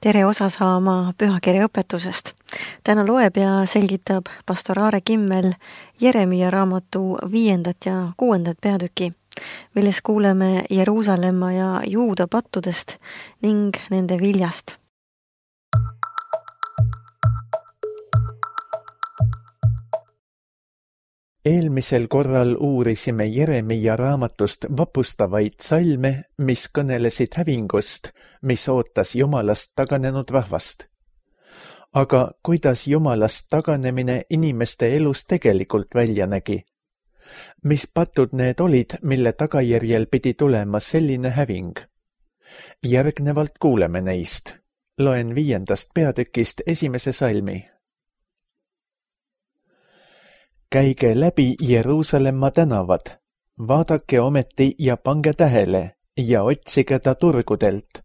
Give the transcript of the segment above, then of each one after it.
tere osa saama pühakirja õpetusest. Täna loeb ja selgitab pastor Aare Kimmel Jeremia raamatu 5. ja 6. peatüki, milles kuuleme Jeruusalemma ja Juuda pattudest ning nende viljast. Eelmisel korral uurisime Jeremia raamatust vapustavaid salme, mis kõnelesid hävingust, mis ootas Jumalast taganenud rahvast. Aga kuidas Jumalast taganemine inimeste elus tegelikult välja nägi? Mis patud need olid, mille tagajärjel pidi tulema selline häving? Järgnevalt kuuleme neist. Loen 5. peatükist 1. salmi. Käige läbi Jeruusalemma tänavad, vaadake ometi ja pange tähele ja otsige ta turgudelt.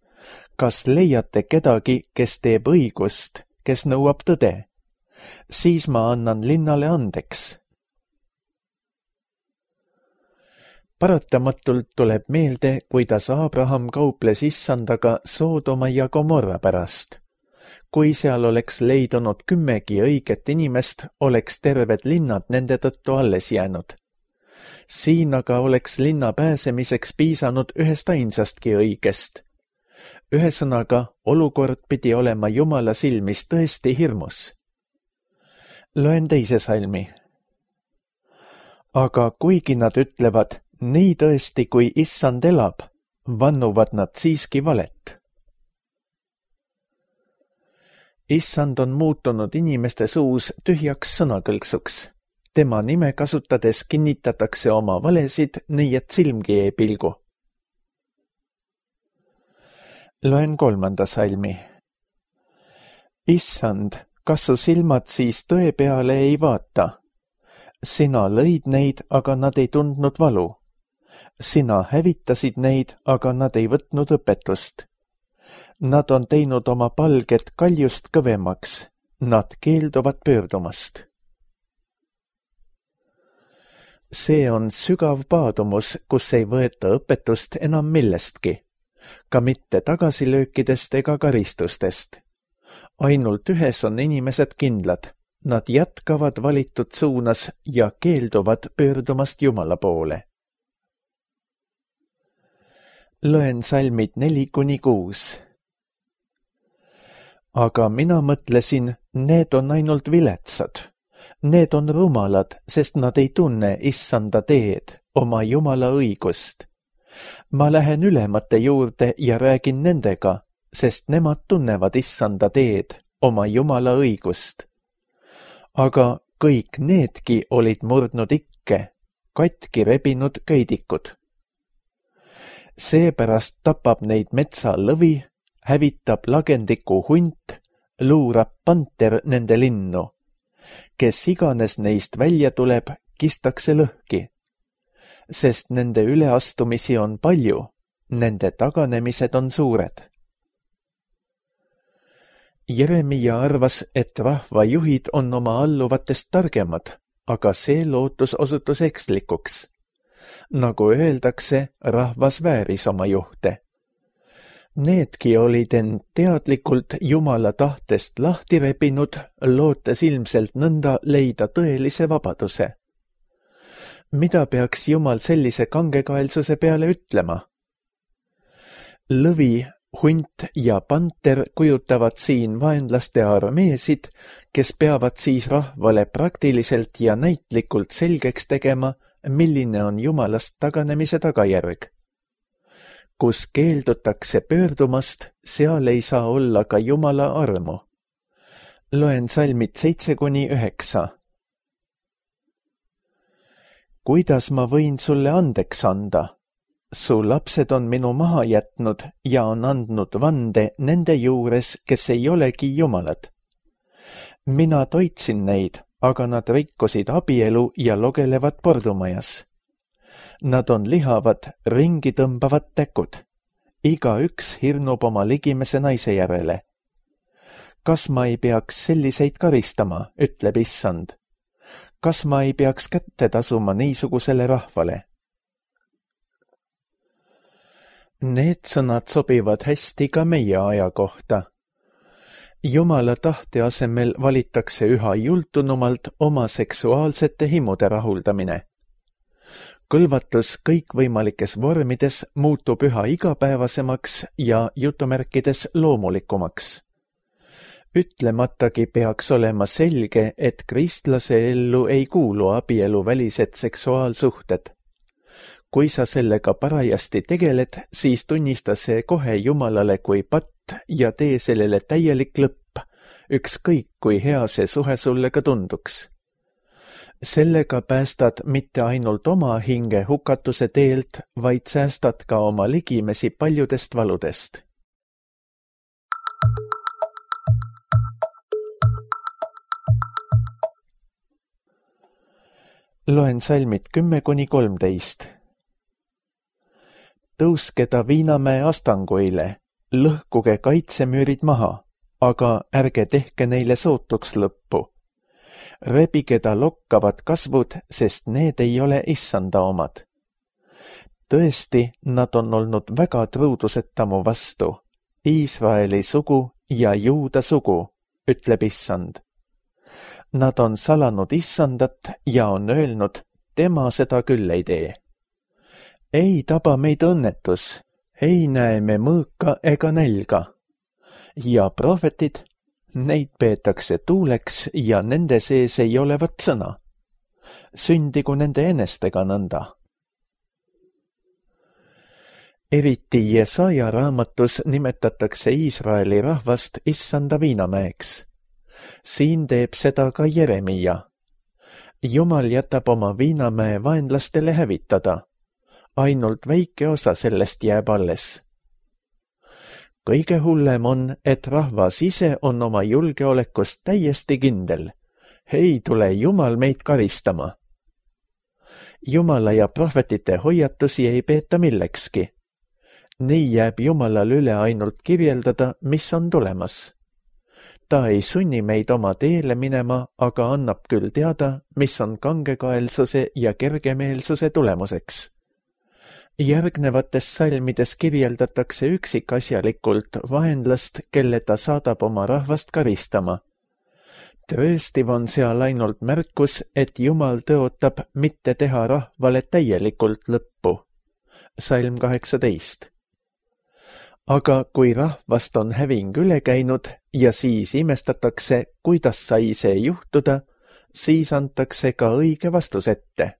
Kas leiate kedagi, kes teeb õigust, kes nõuab tõde? Siis ma annan linnale andeks. Paratamatult tuleb meelde, kuidas Abraham kauples Issandaga Soodoma ja Gomorra pärast. Kui seal oleks leidunud 10 õiget inimest, oleks terved linnad nende tõttu alles jäänud. Siin aga oleks linna pääsemiseks piisanud ühest ainsastki õigest. Ühesõnaga, olukord pidi olema Jumala silmis tõesti hirmus. Loen 2. salmi. Aga kuigi nad ütlevad, nii tõesti kui Issand elab, vannuvad nad siiski valet. Issand on muutunud inimeste suus tühjaks sõnakõlksuks. Tema nime kasutades kinnitatakse oma valesid, nii et silmgi ei pilgu. Loen 3. salmi. Issand, kas su silmad siis tõe peale ei vaata? Sina lõid neid, aga nad ei tundnud valu. Sina hävitasid neid, aga nad ei võtnud õpetust. Nad on teinud oma palget kaljust kõvemaks. Nad keelduvad pöördumast. See on sügav paadumus, kus ei võeta õpetust enam millestki. Ka mitte tagasilöökidest ega karistustest. Ainult ühes on inimesed kindlad. Nad jätkavad valitud suunas ja keelduvad pöördumast Jumala poole. Loen salmid 4-6. Aga mina mõtlesin, need on ainult viletsad. Need on rumalad, sest nad ei tunne Issanda teed, oma Jumala õigust. Ma lähen ülemate juurde ja räägin nendega, sest nemad tunnevad Issanda teed, oma Jumala õigust. Aga kõik needki olid murdnud ikke, katki rebinud köidikud. Seepärast tapab neid metsa lõvi, hävitab lagendiku hunt, luurab panter nende linnu. Kes iganes neist välja tuleb, kistakse lõhki. Sest nende üleastumisi on palju, nende taganemised on suured. Jeremia arvas, et rahvajuhid on oma alluvatest targemad, aga see lootus osutus ekslikuks. Nagu öeldakse, rahvas vääris oma juhte. Needki olid end teadlikult Jumala tahtest lahti rebinud, lootes ilmselt nõnda leida tõelise vabaduse. Mida peaks Jumal sellise kangekaelsuse peale ütlema? Lõvi, hunt ja panter kujutavad siin vaenlaste armeesid, kes peavad siis rahvale praktiliselt ja näitlikult selgeks tegema, milline on Jumalast taganemise tagajärg. Kus keeldutakse pöördumast, seal ei saa olla ka Jumala armu. Loen salmid 7-9. Kuidas ma võin sulle andeks anda? Su lapsed on minu maha jätnud ja on andnud vande nende juures, kes ei olegi Jumalad. Mina toitsin neid, aga nad rikkusid abielu ja logelevad pordumajas. Nad on lihavad, ringi tõmbavad täkud. Igaüks hirnub oma ligimese naise järele. Kas ma ei peaks selliseid karistama, ütleb Issand. Kas ma ei peaks kätte tasuma niisugusele rahvale? Need sõnad sobivad hästi ka meie aja kohta. Jumala tahte asemel valitakse üha jultunumalt oma seksuaalsete himude rahuldamine. Kõlvatus kõikvõimalikes vormides muutub üha igapäevasemaks ja jutumärkides loomulikumaks. Ütlematagi peaks olema selge, et kristlase ellu ei kuulu abieluvälised seksuaalsuhted. Kui sa sellega parajasti tegeled, siis tunnista see kohe Jumalale kui patt ja tee sellele täielik lõpp, ükskõik kui hea see suhe sulle ka tunduks. Sellega päästad mitte ainult oma hinge hukatuse teelt, vaid säästad ka oma ligimesi paljudest valudest. Loen salmid 10–13. Tõuske ta Viinamäe astanguile, lõhkuge kaitsemüürid maha, aga ärge tehke neile sootuks lõppu. Rebige ta lokkavad kasvud, sest need ei ole issanda omad. Tõesti, nad on olnud väga truuduseta mu vastu, Iisraeli sugu ja Juuda sugu, ütleb issand. Nad on salanud issandat ja on öelnud, tema seda küll ei tee. Ei taba meid õnnetus, ei näe me mõõka ega nälga. Ja prohvetid, neid peetakse tuuleks ja nende sees ei olevat sõna. Sündigu nende enestega nõnda. Eriti Jesaja raamatus nimetatakse Iisraeli rahvast issanda Viinamäeks. Siin teeb seda ka Jeremia. Jumal jätab oma Viinamäe vaenlastele hävitada. Ainult väike osa sellest jääb alles. Kõige hullem on, et rahvas ise on oma julgeolekust täiesti kindel. Ei tule Jumal meid karistama. Jumala ja prohvetite hoiatusi ei peeta millekski. Nii jääb Jumalal üle ainult kirjeldada, mis on tulemas. Ta ei sunni meid oma teele minema, aga annab küll teada, mis on kangekaelsuse ja kergemeelsuse tulemuseks. Järgnevates salmides kirjeldatakse üksikasjalikult vaenlast, kelle ta saadab oma rahvast karistama. Trööstiv on seal ainult märkus, et Jumal tõotab mitte teha rahvale täielikult lõppu. Salm 18. Aga kui rahvast on häving üle käinud ja siis imestatakse, kuidas sai see juhtuda, siis antakse ka õige vastus ette.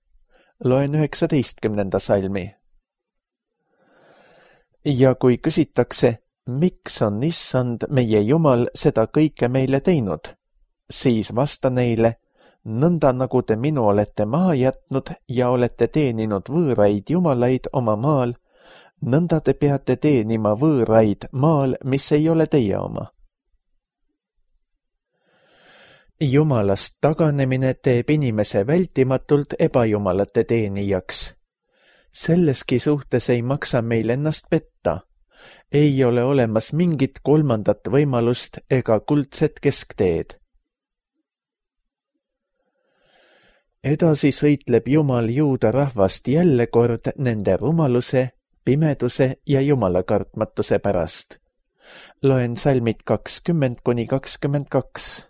Loen 19. salmi. Ja kui küsitakse, miks on issand meie Jumal seda kõike meile teinud, siis vasta neile, nõnda nagu te minu olete maha jätnud ja olete teeninud võõraid jumalaid oma maal, nõnda te peate teenima võõraid maal, mis ei ole teie oma. Jumalast taganemine teeb inimese vältimatult ebajumalate teenijaks. Selleski suhtes ei maksa meil ennast petta. Ei ole olemas mingit kolmandat võimalust ega kuldset keskteed. Edasi sõitleb Jumal Juuda rahvast jälle kord nende rumaluse, pimeduse ja jumalakartmatuse pärast. Loen salmid 20–22.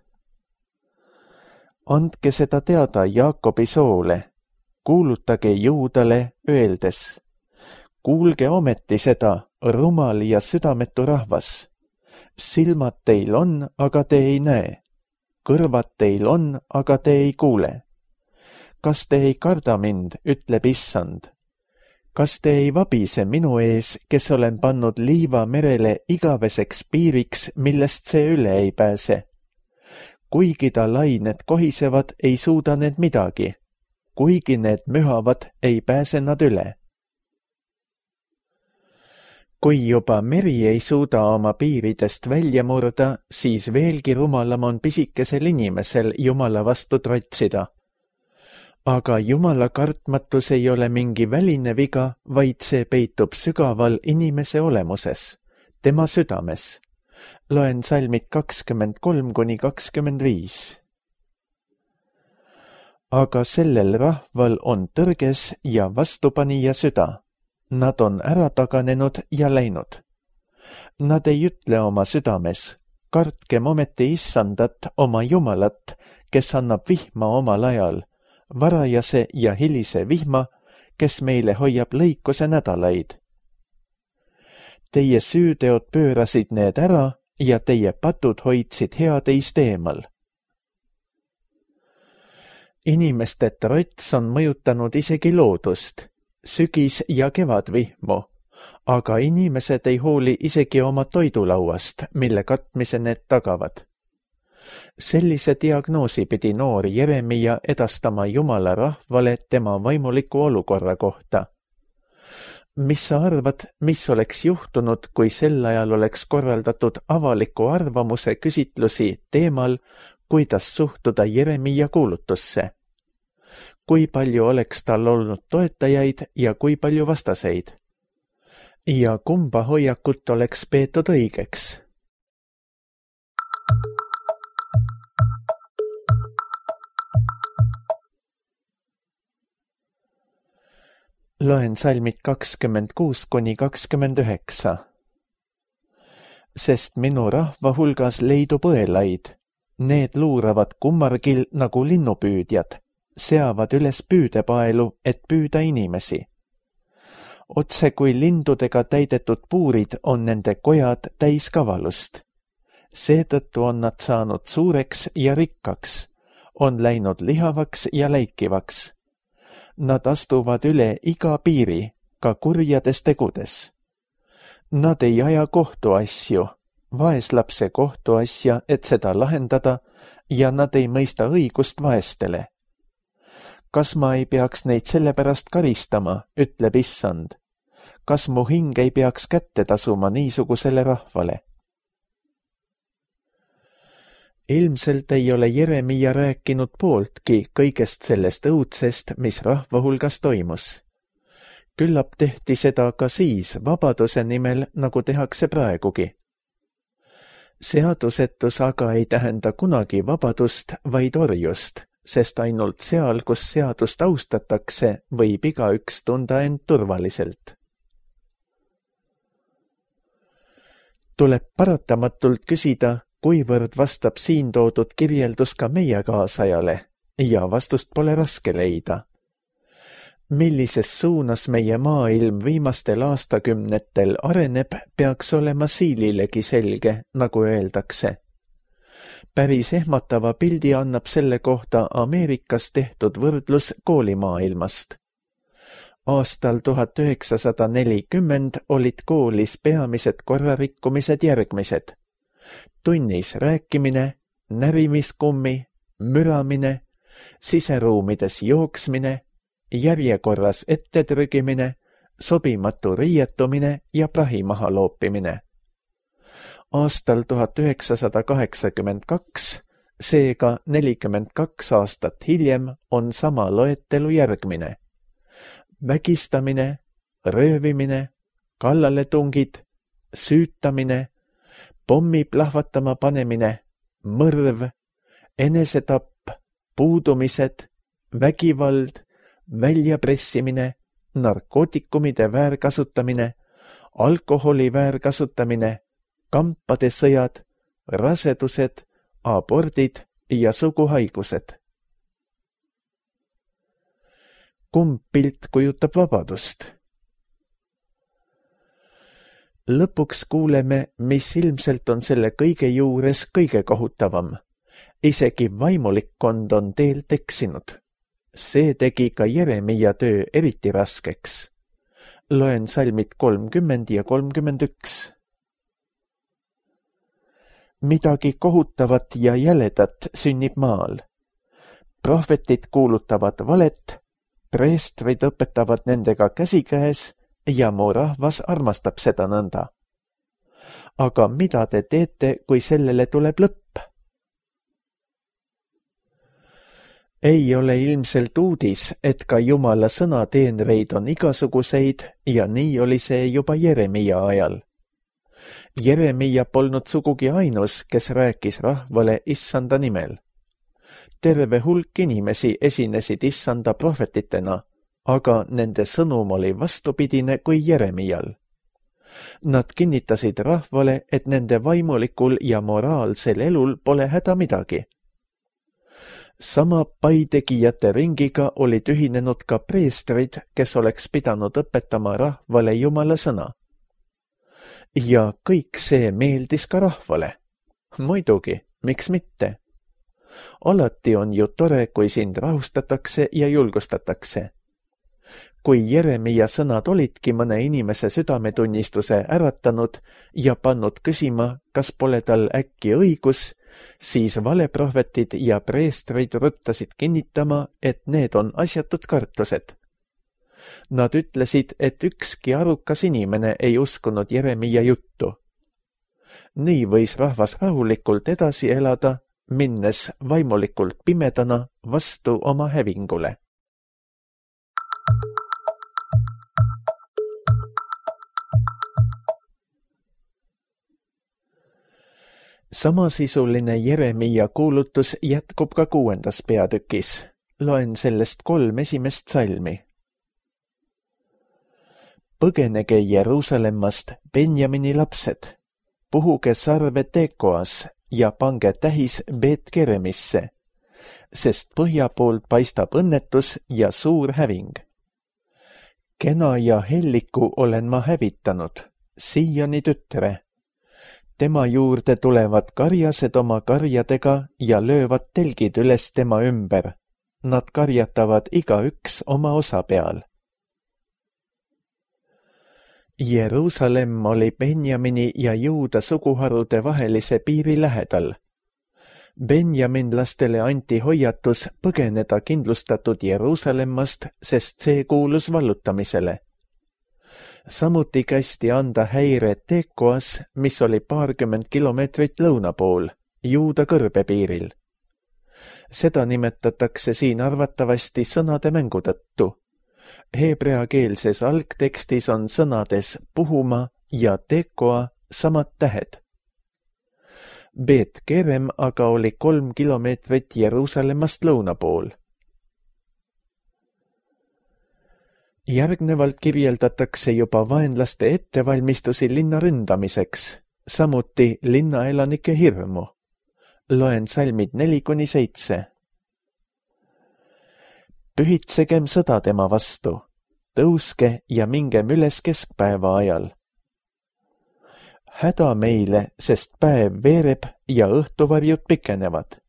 Andke seda teada Jaakobi soole, kuulutage Juudale öeldes. Kuulge ometi seda, rumal ja südametu rahvas. Silmad teil on, aga te ei näe. Kõrvad teil on, aga te ei kuule. Kas te ei karda mind, ütleb issand? Kas te ei vabise minu ees, kes olen pannud liiva merele igaveseks piiriks, millest see üle ei pääse? Kuigi ta lained kohisevad, ei suuda need midagi. Kuigi need mühavad, ei pääse nad üle. Kui juba meri ei suuda oma piiridest välja murda, siis veelgi rumalam on pisikesel inimesel Jumala vastu trotsida. Aga Jumala kartmatus ei ole mingi väline viga, vaid see peitub sügaval inimese olemuses, tema südames. Loen salmid 23–25. Aga sellel rahval on tõrges ja vastupanija süda. Nad on ära taganenud ja läinud. Nad ei ütle oma südames, kartkem ometi issandat oma Jumalat, kes annab vihma omal ajal, varajase ja hilise vihma, kes meile hoiab lõikuse nädalaid. Teie süüteod pöörasid need ära ja teie patud hoidsid hea teist eemal. Inimeste trots on mõjutanud isegi loodust, sügis- ja kevadvihmu, aga inimesed ei hooli isegi oma toidulauast, mille katmise need tagavad. Sellise diagnoosi pidi noor Jeremia edastama Jumala rahvale tema vaimuliku olukorra kohta. Mis sa arvad, mis oleks juhtunud, kui sel ajal oleks korraldatud avaliku arvamuse küsitlusi teemal, kuidas suhtuda Jeremia kuulutusse? Kui palju oleks tal olnud toetajaid ja kui palju vastaseid? Ja kumba hoiakut oleks peetud õigeks? Loen salmid 26–29. Sest minu rahva hulgas leidub õelaid, need luuravad kummargil nagu linnupüüdjad, seavad üles püüdepaelu, et püüda inimesi. Otse kui lindudega täidetud puurid on nende kojad täis kavalust. Seetõttu on nad saanud suureks ja rikkaks, on läinud lihavaks ja läikivaks. Nad astuvad üle iga piiri, ka kurjades tegudes. Nad ei aja kohtuasju, vaeslapse kohtuasja, et seda lahendada, ja nad ei mõista õigust vaestele. Kas ma ei peaks neid sellepärast karistama, ütleb issand? Kas mu hing ei peaks kätte tasuma niisugusele rahvale? Ilmselt ei ole Jeremia rääkinud pooltki kõigest sellest õudsest, mis rahva hulgas toimus. Küllap tehti seda ka siis vabaduse nimel, nagu tehakse praegugi. Seadusetus aga ei tähenda kunagi vabadust, vaid orjust, sest ainult seal, kus seadust austatakse, võib igaüks tunda end turvaliselt. Tuleb paratamatult küsida, kuivõrd vastab siin toodud kirjeldus ka meie kaasajale, ja vastust pole raske leida. Millises suunas meie maailm viimastel aastakümnetel areneb, peaks olema siililegi selge, nagu öeldakse. Päris ehmatava pildi annab selle kohta Ameerikas tehtud võrdlus koolimaailmast. Aastal 1940 olid koolis peamised korrarikkumised järgmised. Tunnis rääkimine, närimiskummi, müramine, siseruumides jooksmine, järjekorras ettetrügimine, sobimatu riietumine ja prahi maha loopimine. Aastal 1982, seega 42 aastat hiljem, on sama loetelu järgmine. Vägistamine, röövimine, kallaletungid, süütamine, pommi plahvatama panemine, mõrv, enesetapp, puudumised, vägivald, väljapressimine, narkootikumide väärkasutamine, alkoholi väärkasutamine, kampade sõjad, rasedused, abordid ja suguhaigused. Kumb pilt kujutab vabadust? Lõpuks kuuleme, mis ilmselt on selle kõige juures kõige kohutavam. Isegi vaimulikkond on teelt eksinud. See tegi ka Jeremia töö eriti raskeks. Loen salmid 30 ja 31. Midagi kohutavat ja jäledat sünnib maal. Prohvetid kuulutavad valet, preestrid õpetavad nendega käsikäes ja mu rahvas armastab seda nõnda. Aga mida te teete, kui sellele tuleb lõpp? Ei ole ilmselt uudis, et ka Jumala sõnateenreid on igasuguseid ja nii oli see juba Jeremia ajal. Jeremia polnud sugugi ainus, kes rääkis rahvale issanda nimel. Terve hulk inimesi esinesid issanda prohvetitena, aga nende sõnum oli vastupidine kui Jeremial. Nad kinnitasid rahvale, et nende vaimulikul ja moraalsel elul pole häda midagi. Sama paitegijate ringiga olid ühinenud ka preestrid, kes oleks pidanud õpetama rahvale Jumala sõna. Ja kõik see meeldis ka rahvale. Muidugi, miks mitte? Alati on ju tore, kui sind rahustatakse ja julgustatakse. Kui Jeremia sõnad olidki mõne inimese südametunnistuse äratanud ja pannud küsima, kas pole tal äkki õigus, siis valeprohvetid ja preestrid ruttasid kinnitama, et need on asjatud kartused. Nad ütlesid, et ükski arukas inimene ei uskunud Jeremia juttu. Nii võis rahvas rahulikult edasi elada, minnes vaimulikult pimedana vastu oma hävingule. Samasisuline Jeremia kuulutus jätkub ka 6. peatükis. Loen sellest 3 esimest salmi. Põgenege Jeruusalemmast, Benjamini lapsed, puhuge sarve Tekoas ja pange tähis Beet-Keremisse, sest põhja poolt paistab õnnetus ja suur häving. Kena ja helliku olen ma hävitanud, Siioni tütre. Tema juurde tulevad karjased oma karjadega ja löövad telgid üles tema ümber. Nad karjatavad igaüks oma osa peal. Jeruusalemm oli Benjamini ja Juuda suguharude vahelise piiri lähedal. Benjaminlastele anti hoiatus põgeneda kindlustatud Jeruusalemmast, sest see kuulus vallutamisele. Samuti kästi anda häire Tekoas, mis oli 20 kilomeetrit lõuna pool, Juuda kõrbepiiril. Seda nimetatakse siin arvatavasti sõnade mängu tõttu. Heebreakeelses algtekstis on sõnades puhuma ja Tekoa samad tähed. Beet-Kerem aga oli 3 kilomeetrit Jeruusalemmast lõuna pool. Järgnevalt kirjeldatakse juba vaenlaste ettevalmistusi linna ründamiseks, samuti linnaelanike hirmu. Loen salmid 4-7. Pühitsegem sõda tema vastu, tõuske ja mingem üles keskpäeva ajal. Häda meile, sest päev veereb ja õhtuvarjud pikenevad.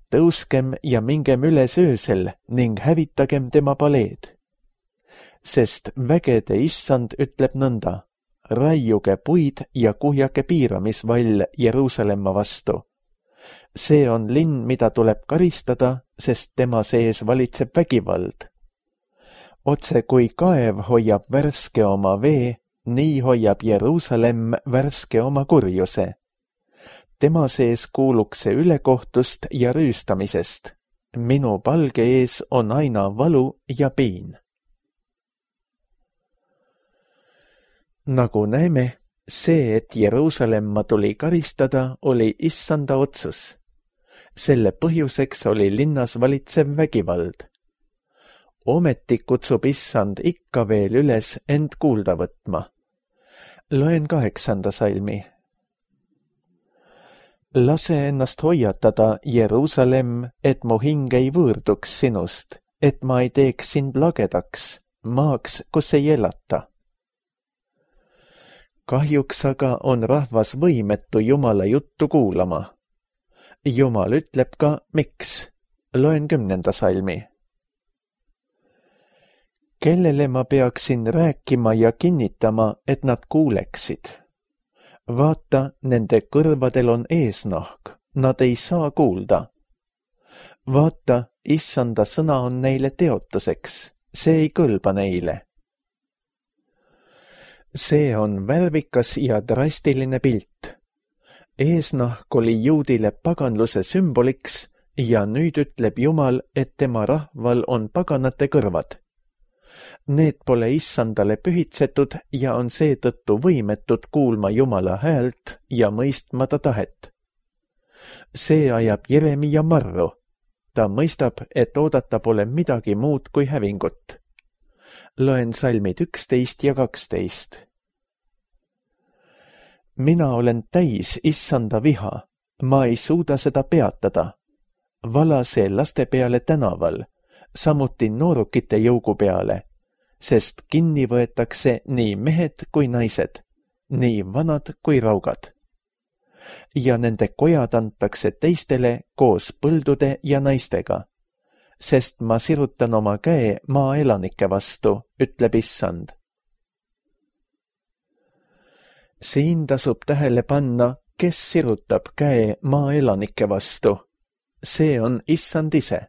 Tõuskem ja mingem üles öösel ning hävitagem tema paleed. Sest vägede issand ütleb nõnda, raiuge puid ja kuhjake piiramisvall Jeruusalemma vastu. See on linn, mida tuleb karistada, sest tema sees valitseb vägivald. Otse kui kaev hoiab värske oma vee, nii hoiab Jeruusalemm värske oma kurjuse. Tema sees kuulukse ülekohtust ja rüüstamisest. Minu palge ees on aina valu ja piin. Nagu näeme, see, et Jeruusalemma tuli karistada, oli issanda otsus. Selle põhjuseks oli linnas valitsev vägivald. Ometi kutsub issand ikka veel üles end kuulda võtma. Loen 8. salmi. Lase ennast hoiatada, Jeruusalemm, et mu hing ei võõrduks sinust, et ma ei teeks sind lagedaks, maaks, kus ei elata. Kahjuks aga on rahvas võimetu Jumala juttu kuulama. Jumal ütleb ka, miks. Loen 10. salmi. Kellele ma peaksin rääkima ja kinnitama, et nad kuuleksid? Vaata, nende kõrvadel on eesnahk, nad ei saa kuulda. Vaata, issanda sõna on neile teotuseks, see ei kõlba neile. See on värvikas ja drastiline pilt. Eesnahk oli juudile paganluse sümboliks ja nüüd ütleb Jumal, et tema rahval on paganate kõrvad. Need pole issandale pühitsetud ja on seetõttu võimetud kuulma Jumala häält ja mõistma ta tahet. See ajab Jeremia marru. Ta mõistab, et oodata pole midagi muud kui hävingut. Loen salmid 11 ja 12. mina olen täis issanda viha, ma ei suuda seda peatada. Vala see laste peale tänaval, samuti noorukite jõugu peale, sest kinni võetakse nii mehed kui naised, nii vanad kui raugad. Ja nende kojad antakse teistele koos põldude ja naistega, sest ma sirutan oma käe maa elanike vastu, ütleb issand. Siin tasub tähele panna, kes sirutab käe maa elanike vastu. See on issand ise.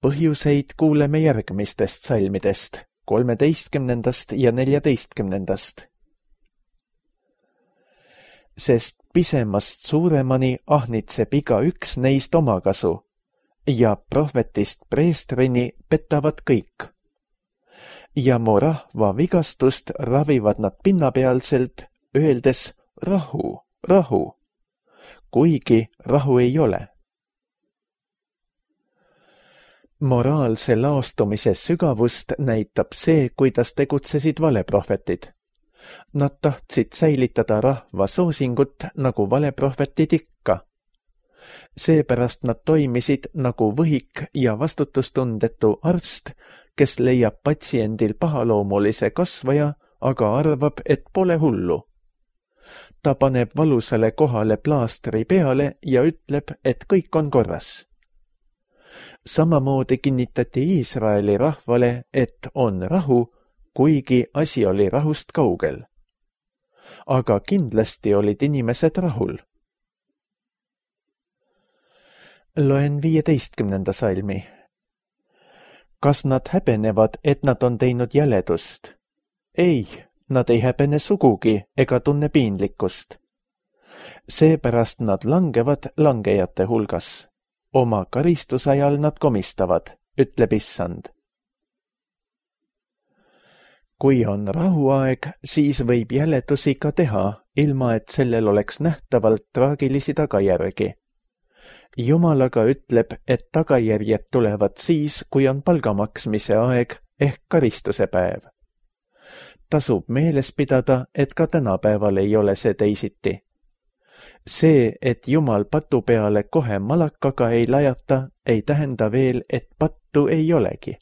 Põhjuseid kuuleme järgmistest salmidest, 13. ja 14. Sest pisemast suuremani ahnitseb igaüks neist omakasu ja prohvetist preestrini petavad kõik. Ja mu rahva vigastust ravivad nad pinnapealselt, öeldes rahu, rahu, kuigi rahu ei ole. Moraalse laostumise sügavust näitab see, kuidas tegutsesid valeprohvetid. Nad tahtsid säilitada rahva soosingut nagu valeprohvetid ikka. Seepärast nad toimisid nagu võhik ja vastutustundetu arst, kes leiab patsiendil pahaloomulise kasvaja, aga arvab, et pole hullu. Ta paneb valusale kohale plaastri peale ja ütleb, et kõik on korras. Samamoodi kinnitati Iisraeli rahvale, et on rahu, kuigi asi oli rahust kaugel. Aga kindlasti olid inimesed rahul. Loen 15. salmi. Kas nad häbenevad, et nad on teinud jäledust? Ei, nad ei häbene sugugi ega tunne piinlikkust. Seepärast nad langevad langejate hulgas. Oma karistusajal nad komistavad, ütleb issand. Kui on rahuaeg, siis võib jäledusi ka teha, ilma et sellel oleks nähtavalt traagilisi tagajärgi. Jumal aga ütleb, et tagajärjed tulevad siis, kui on palgamaksmise aeg ehk karistuse päev. Tasub meeles pidada, et ka tänapäeval ei ole see teisiti. See, et Jumal patu peale kohe malakaga ei lajata, ei tähenda veel, et pattu ei olegi.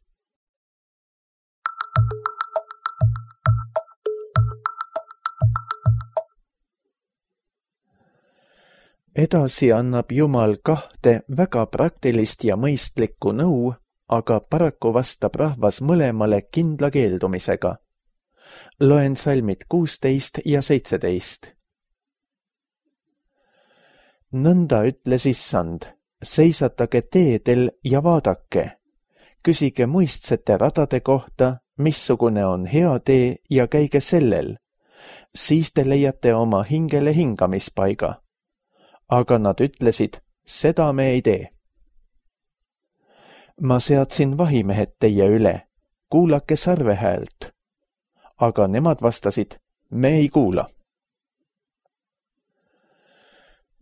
Edasi annab Jumal 2 väga praktilist ja mõistlikku nõu, aga paraku vastab rahvas mõlemale kindla keeldumisega. Loen salmid 16 ja 17. Nõnda ütles issand, seisatage teedel ja vaadake. Küsige muistsete radade kohta, missugune on hea tee ja käige sellel. Siis te leiate oma hingele hingamispaiga. Aga nad ütlesid, seda me ei tee. Ma seadsin vahimehed teie üle, kuulake sarve häält. Aga nemad vastasid, me ei kuula.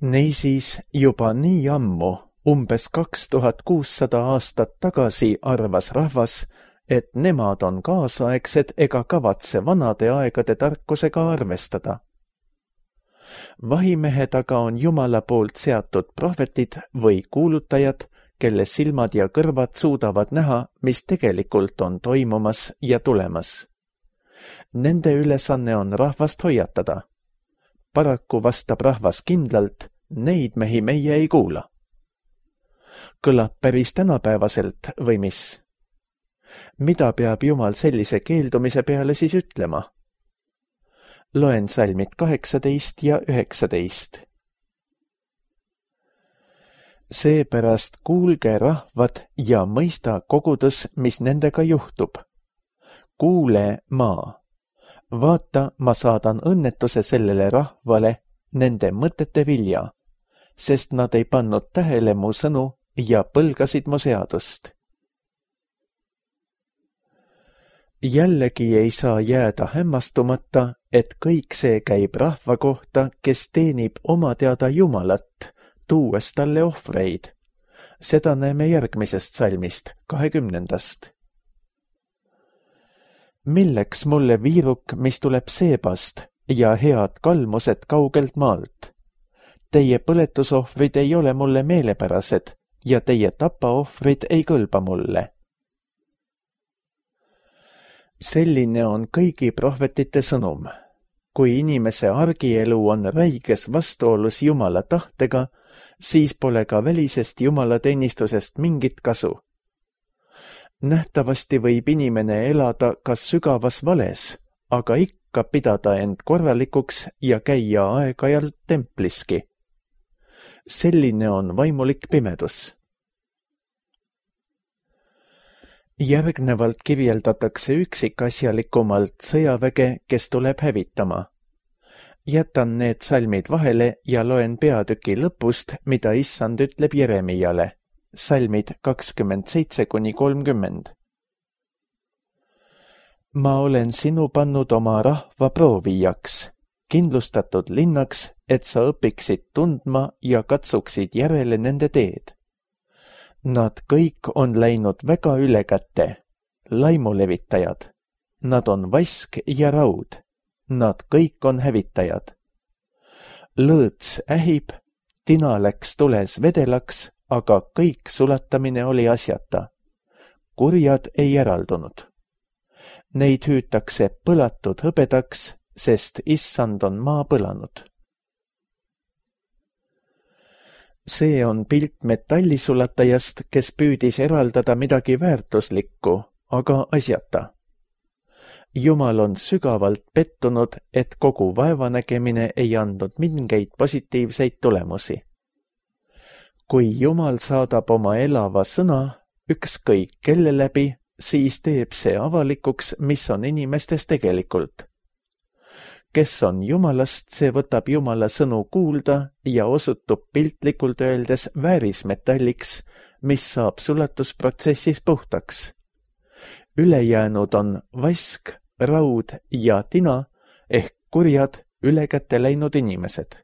Niisiis juba nii ammu, umbes 2600 aastat tagasi arvas rahvas, et nemad on kaasaegsed ega kavatse vanade aegade tarkusega arvestada. Vahimehed aga on Jumala poolt seatud prohvetid või kuulutajad, kelle silmad ja kõrvad suudavad näha, mis tegelikult on toimumas ja tulemas. Nende ülesanne on rahvast hoiatada. Paraku vastab rahvas kindlalt, neid mehi meie ei kuula. Kõlab päris tänapäevaselt või mis? Mida peab Jumal sellise keeldumise peale siis ütlema? Loen salmid 18 ja 19. Seepärast kuulge rahvad ja mõista kogudus, mis nendega juhtub. Kuule maa. Vaata, ma saadan õnnetuse sellele rahvale, nende mõtete vilja, sest nad ei pannud tähele mu sõnu ja põlgasid mu seadust. Jällegi ei saa jääda hämmastumata, et kõik see käib rahva kohta, kes teenib oma teada Jumalat, tuues talle ohvreid. Seda näeme järgmisest salmist, 20. Milleks mulle viiruk, mis tuleb seebast, ja head kalmused kaugelt maalt. Teie põletusohvrid ei ole mulle meelepärased ja teie tapaohvrid ei kõlba mulle. Selline on kõigi prohvetite sõnum. Kui inimese argielu on räiges vastuolus Jumala tahtega, siis pole ka välisest jumalateenistusest mingit kasu. Nähtavasti võib inimene elada kas sügavas vales, aga ikka pidada end korralikuks ja käia aeg-ajalt templiski. Selline on vaimulik pimedus. Järgnevalt kirjeldatakse üksikasjalikumalt sõjaväge, kes tuleb hävitama. Jätan need salmid vahele ja loen peatüki lõpust, mida Issand ütleb Jeremiale. Salmid 27–30. Ma olen sinu pannud oma rahva proovijaks, kindlustatud linnaks, et sa õpiksid tundma ja katsuksid järele nende teed. Nad kõik on läinud väga ülekäte, laimulevitajad. Nad on vask ja raud. Nad kõik on hävitajad. Lõõts ähib, tina läks tules vedelaks, aga kõik sulatamine oli asjata. Kurjad ei eraldunud. Neid hüütakse põlatud hõbedaks, sest Issand on maa põlanud. See on pilt metallisulatajast, kes püüdis eraldada midagi väärtuslikku, aga asjata. Jumal on sügavalt pettunud, et kogu vaevanägemine ei andnud mingeid positiivseid tulemusi. Kui Jumal saadab oma elava sõna, ükskõik kelle läbi, siis teeb see avalikuks, mis on inimestes tegelikult. Kes on Jumalast, see võtab Jumala sõnu kuulda ja osutub piltlikult öeldes väärismetalliks, mis saab sulatusprotsessis puhtaks. Ülejäänud on vask, raud ja tina ehk kurjad ülekäte läinud inimesed.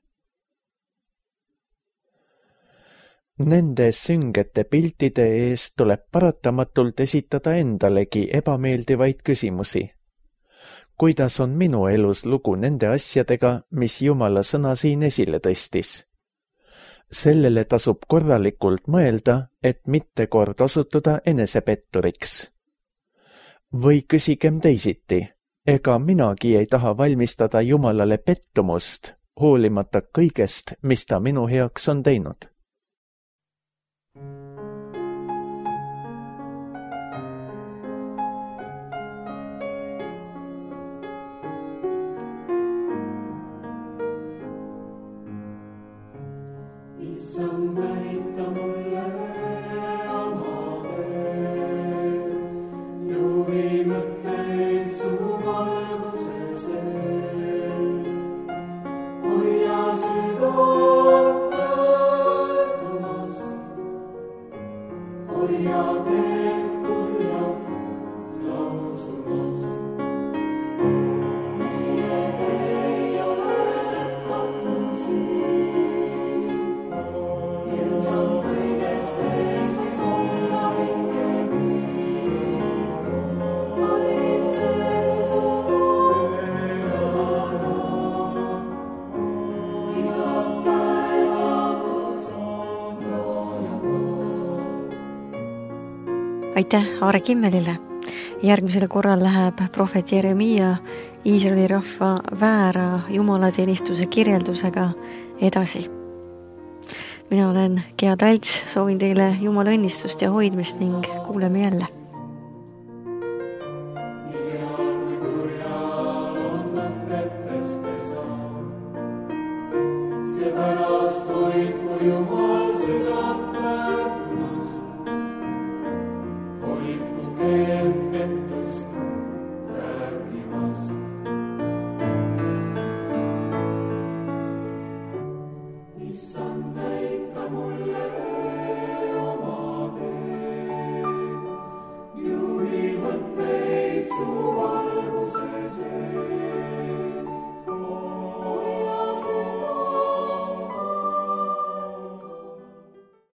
Nende süngete piltide eest tuleb paratamatult esitada endalegi ebameeldivaid küsimusi. Kuidas on minu elus lugu nende asjadega, mis Jumala sõna siin esile tõstis? Sellele tasub korralikult mõelda, et mitte kord osutuda enesepetturiks. Või küsigem teisiti, ega minagi ei taha valmistada Jumalale pettumust, hoolimata kõigest, mis ta minu heaks on teinud. Aitäh Aare Kimmelile. Järgmisel korral läheb prohvet Jeremia Iisraeli rahva väära jumalateenistuse kirjeldusega edasi. Mina olen Gea Talts, soovin teile Jumala õnnistust ja hoidmist ning kuuleme jälle.